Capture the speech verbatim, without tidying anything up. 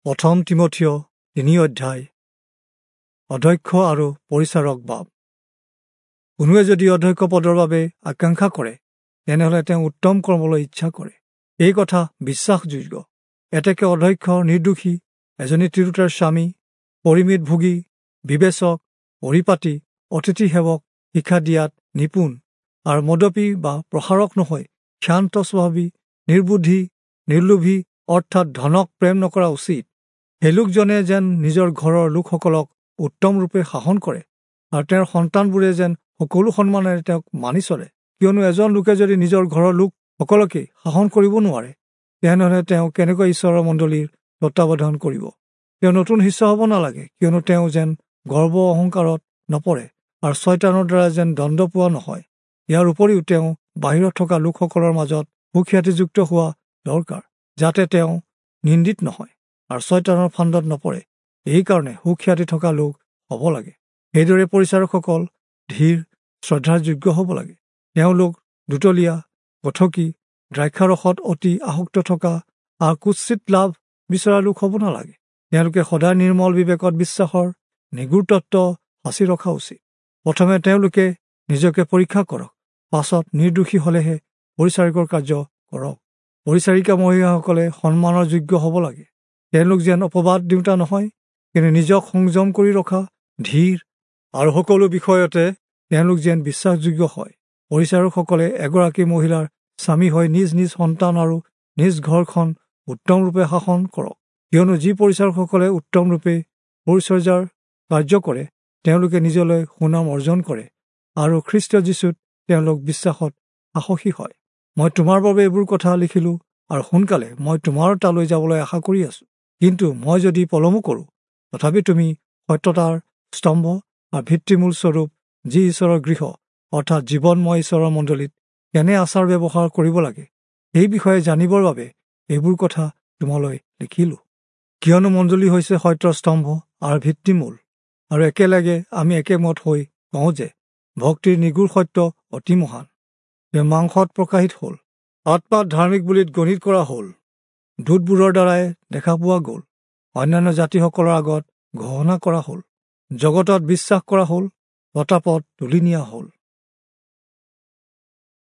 প্ৰথম তীমথিয় তিনি অধ্যায়। অধ্যক্ষ আৰু পৰিচাৰক বাব। কোনোৱে যদি অধ্যক্ষ পদৰ বাবে আকাংক্ষা কৰে, তেনেহ'লে তেওঁ উত্তম কৰ্মলৈ ইচ্ছা কৰে। এই কথা বিশ্বাসযোগ্য। এতেকে অধ্যক্ষ নিৰ্দোষী, এজনী তিৰোতাৰ স্বামী, পৰিমিত ভোগী, বিবেচক, পৰিপাটি, অতিথি সেৱক, শিক্ষা দিয়াত নিপুণ আৰু মদপী বা প্ৰসাৰক নহয়, ক্ষান্ত স্বভাৱী, নিৰ্বুদ্ধি, নিৰ্লোভী, অৰ্থাৎ ধনক প্ৰেম নকৰা উচিত। সেই লোকজনে যেন নিজৰ ঘৰৰ লোকসকলক উত্তম ৰূপে শাসন কৰে আৰু তেওঁৰ সন্তানবোৰে যেন সকলো সন্মানেৰে তেওঁক মানি চলে। কিয়নো এজন লোকে যদি নিজৰ ঘৰৰ লোকসকলকেই শাসন কৰিব নোৱাৰে, তেনেহ'লে তেওঁ কেনেকৈ ঈশ্বৰৰ মণ্ডলীৰ তত্বাৱধান কৰিব? তেওঁ নতুন শিষ্য হ'ব নালাগে, কিয়নো তেওঁ যেন গৰ্ব অহংকাৰত নপৰে আৰু ছয়তানৰ দ্বাৰা যেন দণ্ড পোৱা নহয়। ইয়াৰ উপৰিও তেওঁ বাহিৰত থকা লোকসকলৰ মাজত সুখ্যাতিযুক্ত হোৱা দৰকাৰ, যাতে তেওঁ নিন্দিত নহয় আৰু ছয়তানৰ ফান্দত নপৰে। এইকাৰণে সুখ্যাতি থকা লোক হ'ব লাগে। সেইদৰে পৰিচাৰকসকল ধীৰ, শ্ৰদ্ধাৰ যোগ্য হ'ব লাগে। তেওঁলোক দুতলীয়া, কথকী, দ্ৰাক্ষাৰসত অতি আসক্ত থকা আৰু কুৎসিত লাভ বিচৰা লোক হ'ব নালাগে। তেওঁলোকে সদায় নিৰ্মল বিবেকত বিশ্বাসৰ নিগুৰ তত্ত্ব সাঁচি ৰখা উচিত। প্ৰথমে তেওঁলোকে নিজকে পৰীক্ষা কৰক, পাছত নিৰ্দোষী হ'লেহে পৰিচাৰকৰ কাৰ্য কৰক। পৰিচাৰিকা মহিলাসকলে সন্মানৰ যোগ্য হ'ব লাগে। তেওঁলোক যেন অপবাদ দিওঁতা নহয়, কিন্তু নিজক সংযম কৰি ৰখা, ধীৰ আৰু সকলো বিষয়তে তেওঁলোক যেন বিশ্বাসযোগ্য হয়। পৰিচাৰকসকলে এগৰাকী মহিলাৰ স্বামী হৈ নিজ নিজ সন্তান আৰু নিজ ঘৰখন উত্তমৰূপে শাসন কৰক। কিয়নো যি পৰিচাৰকসকলে উত্তমৰূপে পৰিচৰ্যাৰ কাৰ্য কৰে, তেওঁলোকে নিজলৈ সুনাম অৰ্জন কৰে আৰু খ্ৰীষ্ট যীশুত তেওঁলোক বিশ্বাসত সাহসী হয়। মই তোমাৰ বাবে এইবোৰ কথা লিখিলোঁ আৰু সোনকালে মই তোমাৰ তালৈ যাবলৈ আশা কৰি আছোঁ। কিন্তু মই যদি পলমো কৰোঁ, তথাপি তুমি সত্যতাৰ স্তম্ভ আৰু ভিত্তিমূল স্বৰূপ যি ঈশ্বৰৰ গৃহ, অৰ্থাৎ জীৱনময় ঈশ্বৰৰ মণ্ডলীত কেনে আচাৰ ব্যৱহাৰ কৰিব লাগে, সেই বিষয়ে জানিবৰ বাবে এইবোৰ কথা তোমালৈ লিখিলোঁ। কিয়নো মণ্ডলী হৈছে সত্যৰ স্তম্ভ আৰু ভিত্তিমূল, আৰু একেলগে আমি একেমত হৈ কওঁ যে ভক্তিৰ নিগুৰ সত্য অতি মহান। তেওঁ মাংসত প্ৰকাশিত হ'ল, আত্মাত ধাৰ্মিক বুলি গণিত কৰা হ'ল, দূতবোৰৰ দ্বাৰাই দেখা পোৱা গ'ল, অন্যান্য জাতিসকলৰ আগত ঘোষণা কৰা হ'ল, জগতত বিশ্বাস কৰা হ'ল, প্ৰতাপত তুলি নিয়া হ'ল।